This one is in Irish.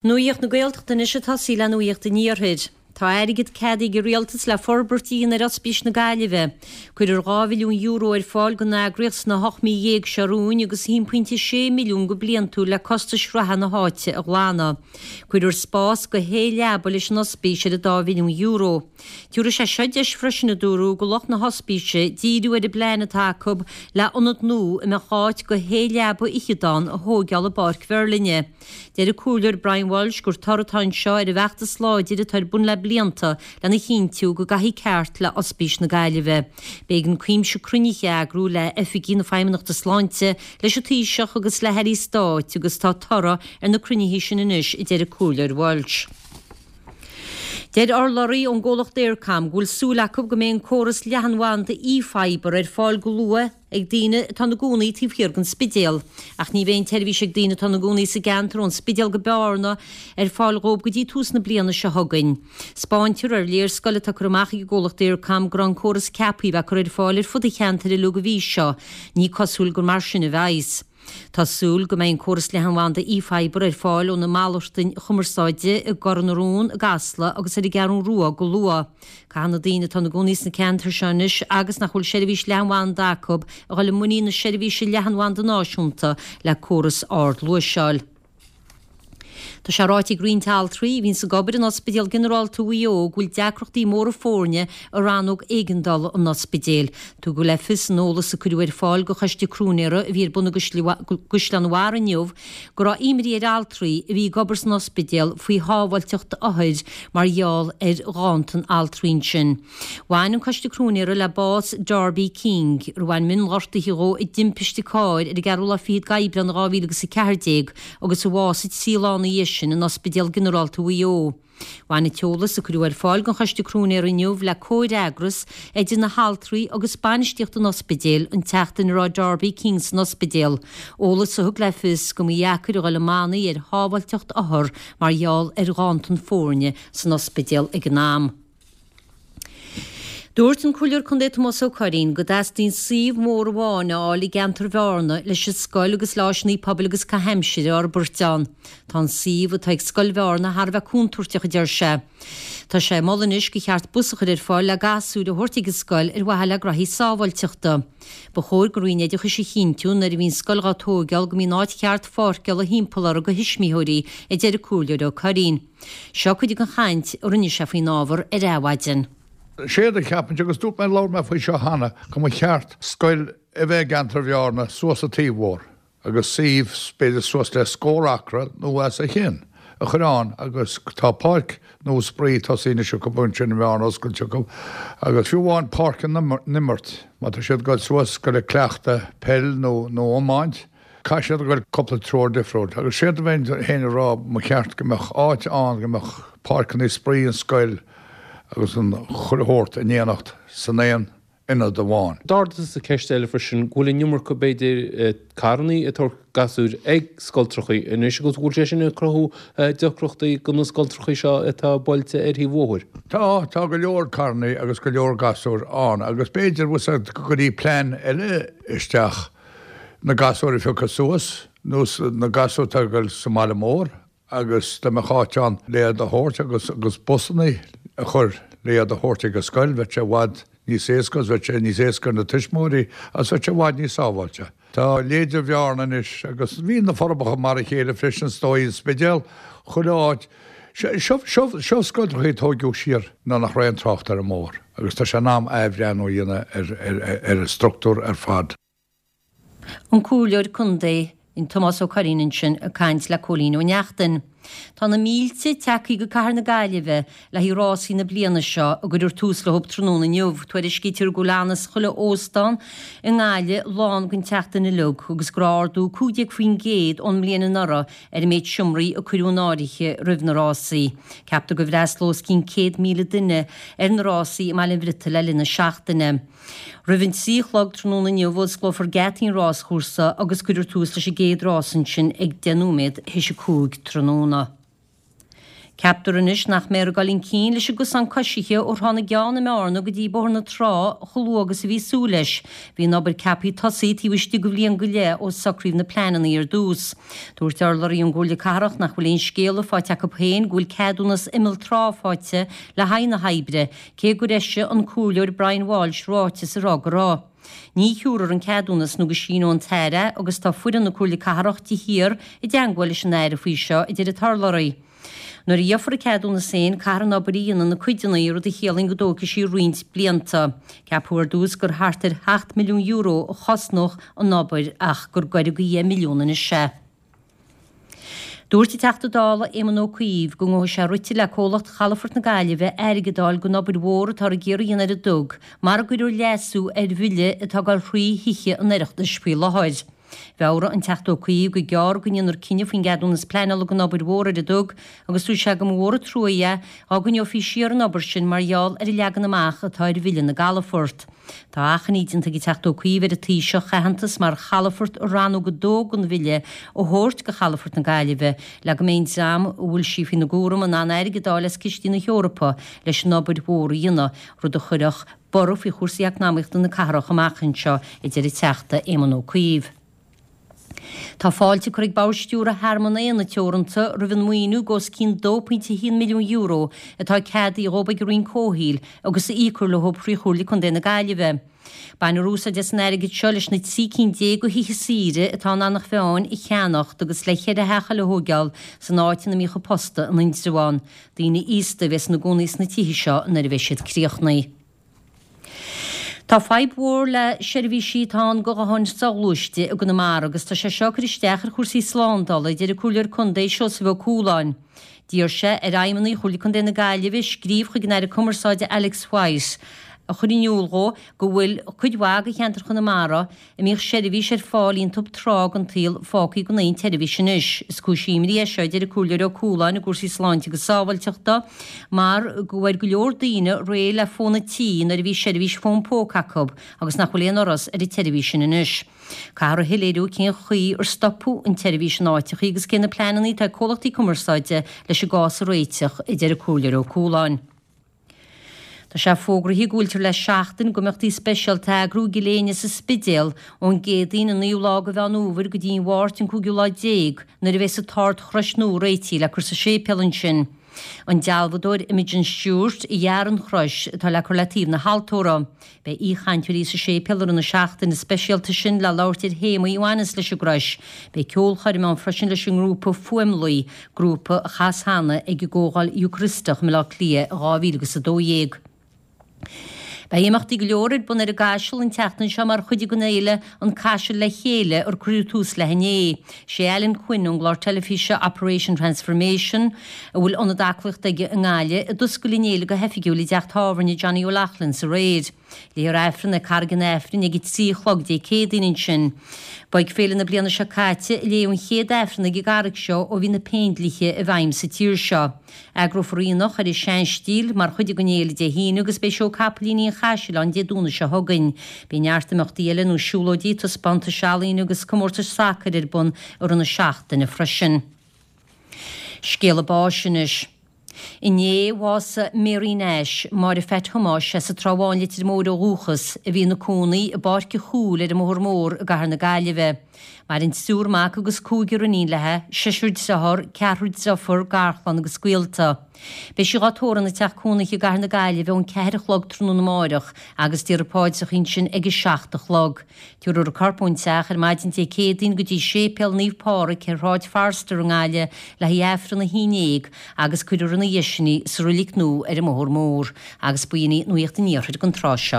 Nuacht na Gaeltachta anois ag tosaí le Nuacht an Iarthair. Tá airgead ceadaithe ag an Rialtas le forbairt a dhéanamh ar Ospís na Gaillimhe. Cuirfear €2 mhilliún ar fáil don eagraíocht sna 18 mí seo romhainn agus 1.6 milliún go bliantúil le costais reatha na háite a ghlanadh. Cuirfear spás do shé leaba leis an ospís ar an dá mhilliún euro. Tabharfaidh sé seo deis freisin, a dúradh, do lucht na hospíse díriú ar an bplean atá acu le ionad nua a mbeadh áit do shé leaba fhichead ann a thóigeáil i bPáirc Mherlinne. Deir an Comhairleoir Brian Walsh gur toradh atá anseo ar an bhfeachtas láidir atá ar bun le blianta lena chinntiú go gcaithfí ceart le Ospís na Gaillimhe. B'éigean cuimse cruinnithe a eagrú le oifigigh na Feidhmeannachta Sláinte, leis an Taoiseach agus le hairí stáit agus tá toradh ar na cruinnithe sin anois, a deir an Comhairleoir Walsh. Deir urlabhraí ón gcomhlacht Eircom go bhfuil súil acu go mbeidh an córas leathanbhanda eFibre ar fáil go luath ag daoine atá ina gcónaí taobh thiar den Spidéal. Ach ní bheidh an tseirbhís ag daoine atá ina gcónaí sa gceantar ón Spidéal go Bearna ar fáil dhóibh go dtí tús na bliana seo chugainn. 'Spáintear ar léarscáil atá curtha amach ag an gcomhlacht Eircom go raibh an córas ceaptha a bheith curtha ar fáil ar fud an cheantair uilig an mhí seo. Ní cosúil gur mar sin a bheas. Tá súil go mbeidh an córas leathanbhanda eFibre ar fáil ó na malartáin chumarsáide i gCor na Rón, i gCasla agus ar an gCeathrú Rua go luath. Caithfidh na daoine atá ina gcónaí sna ceantair seo anois agus nach bhfuil seirbhís leathanbhanda acu a dhul i muinín na seirbhíse leathanbhanda náisiúnta le córas ardluais a fháil. Tá sé ráite ag roinnt altraí a bhíonns ag obair in Ospidéal Ginearálta Mhaigh Eo go bhfuil deacrachtaí móra foirne i rannóg éigeandála an ospidéil. Tugadh le fios in eolas a cuireadh ar fáil do Choiste Cróinéara a bhí ar bun i gCaisleán an Bharraigh inniu go raibh imní ar altraí a bhí ag obair san ospidéal faoi shábháilteacht othair mar gheall ar ghanntan altraí ansin. Bhain an Coiste Cróinéara le bás Darby King, ar bhain mionghortuithe dhó i dtimpiste cairr ar an gceathrú lá fichead d'Aibreán 2014 agus a bhásaigh trí lá ina dhiaidh sin in Ospidéal Ginearálta Mhaigh Eo. Bhain an t-eolas a cuireadh ar fáil don Choiste Cróinéara inniu le comhfhreagras idir na haltraí agus bainistíocht an ospidéil an tseachtain a raibh Darby King san ospidéal, eolas a thug le fios go mba dheacair a dhul i mbannaí ar shábháilteacht othar mar gheall ar ghanntan foirne san ospidéal ag an am. Dúirt an Comhairleoir Contae Tomás Ó Curraoin go dteastaíonn suíomh mór amháin a fháil i gceantar Bhearna leis an scoil agus le áiseanna pobail agus caitheamh aimsire a fhorbairt ann. Tá an suíomh atá ag Scoil Bhearna thar a bheith contúirteach, a deir sé. Tá sé ag moladh anois gur cheart bus a chur ar fáil le gasúir a thabhairt ag an scoil ar mhaithe le graithí sábháilteachta. Ba chóir don Roinn Oideachais a chinntiú nuair a bhíonn scoil dhá tóigeáil go mbíonn áit cheart pháirceála thimpeall orthu do thuismitheoirí, a deir an Comhairleoir Ó Curraoin. Seo cuid den chaint a rinne sé faoin ábhar ar Adhmhaidin. Séard a cheapaimse, agus dúirt mé, labhair mé faoi seo cheana, go mba cheart scoil a bheith i gceantar Bhearna suas sa taobh mhór agus suíomh b'fhéidir suas le scór acra nó os a chionn a chur ann agus tá páirc nua spraoi tosaithe anois acu ansin i mBearna oscailte acu agus fiú amháin páirc na n-imirt má tá siad ag dul suas go le cleachtadh peil nó nó iomáint Caithfidh siad a ghoil cúpla treoir difriúil agus séard a bheinn féin a rá mba cheart go mbeadh áit ann go mbeadh páirceanna spraoi an scoil agus an chuile shórt in éineacht san aon ionad amháin. D'ardaíos ceist eile freisin, go bhfuil an iomarca b'fhéidir carrannaí ag tabhairt gasúir ag scoltrachaí anois agus go bhfuil sé sin ag cruthú deacrachtaí do na scoltrachaí seo atá buailte ar thaobh bhóthair. Tá, tá go leor carrannaí agus go leor gasúir ann agus b'fhéidir bhfuil 's agat go gcuirfí plean eile isteach na gasúir a phiocadh suas, nó na gasúir atá ag dul sa mbaile mór agus dá mbeadh áit ann le iad a thabhairt agus agus busannaí a chur le iad a thabhairt ag an scoil, bheadh sé i bhfad níos éasca agus bheadh sé níos éasca ar na tuismitheoirí agus bheadh sé i bhfad níos sábháilte. Tá leithéide Bhearna anois agus bhí na Forbacha mar a chéile freisin is dóigh, an Spidéal, chuile áit. Seo, seo, seo scoltrachaí a tóigeadh siar nuair nach raibh aon trácht ar an mbóthar agus tá sé in am athbhreathnú a dhéanamh ar, ar, ar an struchtúr ar fad. An Comhairleoir Contae, Tomás Ó Curraoin ansin ag caint le Cóilín Ó Neachtain. Tá na mílte tagtha go cathair na Gaillimhe le haghaidh rásaí na bliana seo a gcuirfear tús leo tráthnóna inniu. Tuairiscítear go bhfuil annas chuile óstán i nGaillimh lán don tseachtain uilig agus go raibh ardú 15% ón mbliain anuraidh ar an méid seomraí a cuireadh in áirithe roimh na rásaí. Ceaptar go bhfreastalóidh os cionn 100,000 duine ar na rásaí i mBaile an Bhriotaigh le linn na seachtaine. Roimh an 3 a chlog tráthnóna inniu osclófar geataí an ráschúrsa agus cuirfear tús leis an gcéad rás ansin ag 5 nóiméad théis 5 tráthnóna. Ceaptar anois nach mbeifear ag dul chun cinn leis an gcosán coisithe ó Thrá na gCeann i mBearna go dtí Bóthar na Trá chomh luath agus a bhí súil leis. Bhí an obair ceaptha tosaí taobh istigh de bhliain go leith ó socraíodh na pleananna ar dtús. Dúirt urlabhraí ón gComhairle Cathrach nach bhfuil aon scéala faighte acu féin go bhfuil ceadúnas imeall trá faighte le haghaidh na hoibre, cé gur eisigh an Comhairleoir Brian Walsh ráiteas ag rá go raibh. Ní thiúrfar an ceadúnas nó go síneoidh an tAire é agus tá foireann na Comhairle Cathrach de shíor i dteangmháil leis an Aire faoi seo, a deir an t-urlabhraí. Nuair a gheofar an ceadúnas féin, caithfear an obair a dhéanamh ina cuideanna, rud a chiallaíonn go dtógfaidh sí roinnt blianta. Ceapadh ar dtús gur thart ar €7 milliún a chosnódh an obair ach gur goireadh go 10 milliún anois é. Dúirt an Teachta Dála Éamon Ó Cuív go ngabhfaidh sé rite le comhlacht Chalafort na Gaillimhe airgead a fháil don obair mhór atáthar ag iarraidh a dhéanamh ar an dug mara gcuirfear leasú ar bhille atá ag dul thrí Thithe an Oireachtais faoi láthair. Mheabhraigh an Teachta Ó Cuív gur gearr go ndéanfar cinneadh faoin gceadúnas pleanála don obair mhór ar an dug agus dúirt sé go mba mhór an trua é dá gcoinneofaí siar an obair sin mar gheall ar an leagan amach atá ar bhille na gcalafort. Tá achainí déanta ag an Teachta Ó Cuív ar an Taoiseach aitheantas mar chalafort i Rannóg 2 den bhille a thabhairt do Chalafort na Gaillimhe le go mbeidh an dream a bhfuil sí faoina gcúram in ann airgead a fháil as cistí na hEorpa leis an obair mhór a dhéanamh, rud a chuirfeadh borradh faoi chúrsaí eacnamaíochta na cathrach amach anseo, a deir an Teachta Éamon Ó Cuív. Tá fáilte curtha ag Bord Stiúrtha Thearmann Éanna Teoranta roimh an maoiniú de os cionn €2.1 milliún atá ceadaithe dhóibh ag an Roinn Comhshaoil agus a íocfar leo thrí Chomhairle Contae na Gaillimhe. Bainfear úsáid as an airgead seo leis na 13 cinn de thithe saoire atá in Eanach Mheáin a cheannacht agus le cheithre theach eile a thóigeáil san áit ina mbíodh an posta in Indreabhán. Daoine aosta a bheas ina gcónaí sna tithe seo nuair a bheidh siad críochnaithe. Tá fadhb mhór le seirbhísí atá ann do ghutháin soghluaiste i gConamara agus tá sé seo ag cur isteach ar chúrsaí slándála, a deir an Comhairleoir Contae Seosamh Ó Cualáin. D'iarr sé ar fheidhmeannaigh Chomhairle Contae na Gaillimhe scríobh chuig an Aire Cumarsáide Alex White a chur in iúl dhó go bhfuil cuid mhaith de cheantar Chonamara a mbíodh seirbhís ar fáil iontub tráth den tsaol fágtha gan aon tseirbhís anois. Is cúis imní é seo, a deir an Comhairleoir Ó Cualáin, i gcúrsaí sláinte agus sábháilteachta mar go bhfuair go leor daoine réidh le fón an tí nuair a bhí seirbhís fón póca acu agus nach bhfuil aon fhoras ar an tseirbhís sin anois. Caithfear a shoiléiriú cén chaoi ar stopadh an tseirbhís in áiteachaí agus cé na pleananna atá ag comhlachtaí cumarsáide leis an gcás a réiteach, a deir an Comhairleoir Ó Cualáin. Tá sé fógraithe go bhfuiltear le seachtain d'imeachtaí speisialta a eagrú i gCill Éinne sa Spidéal ón gCéadaoin an 9ú lá de Mheán Fhómhair go dtí an Mháirt an 5ú lá déag nuair a bheas an tArd-Chrois nua réitithe le cur sa séipéal ansin. An dealbhadóir Imogen Stuart a dhear an chrois atá le cur le taobh na haltóra. Beidh aoichainteoirí sa séipéal i rith na seachtaine speisialta sin le labhairt ar théamaí a bhaineas leis an gcrois. Beidh ceolchoirm ann freisin leis an ngrúpa Fuaimluí, grúpa a chas cheana ag an gComhdháil Eocairisteach i mBaile Átha Cliath i 2012. Beidh imeachtaí go leor ar bun ar an gCaiseal an tseachtain seo mar chuid den fhéile An Caiseal le Chéile ar cuireadh tús léi inné. Sé Alan Quinn ón gclár teilifíse Operation Transformation, a bhfuil ionad aclaíochta aige i nGaillimh, a d'oscail an fhéile go hoifigiúil i dteach tábhairne Johnny O'Loughlin's aréir. Léifear Aifreann ag Carraig an Aifrinn ag a 3 a chlog Dé Céadaoin ansin. Ba ag féile na bliana seo caite a léadh an chéad Aifreann ag an gcarraig seo ó bhí na Péindlíthe i bhfeidhm sa tír seo. Eagrófar aonach ar an seanstíl mar chuid den fhéile Dé hAoine agus beidh seó capaillíní an Chaisil ann Dé Domhnaigh seo chugainn. Beidh neart imeachtaí eile nós siúlóidí, taispeántais ealaíne agus comórtais sacair ar bun i rith na seachtaine freisin. Scéala báis anois. Inné, bhásaigh Mary Nash, Máire Pheait Thomáis as an Trá Bháin Leitir Móir ó dhúchas, a bhí ina cónaí i bPáirc an Chúil ar an mBóthar Mór i gCathair na Gaillimhe. Maireann triúr mac agus cúigear iníon léi, seisear dearthár, ceathrar deirfiúr, garchlann agus gaolta. Beidh sí dhá tórramh ina teach cónaithe i gCathair na Gaillimhe ón ceathair a chlog tráthnóna amáireach agus déarfar paidreacha ansin ag a 7 a chlog. Tabharfar a corp ón teach ar maidin Dé Céadaoin go dtí Séipéal Naomh Pádraig ar Shráid Forster i nGaillimh le haghaidh Aifreann 11 agus cuirfear ina dhiaidh sin í sa reilig nua ar an mBóthar Mór. Agus b'in í Nuacht an Iarthair don tráth seo.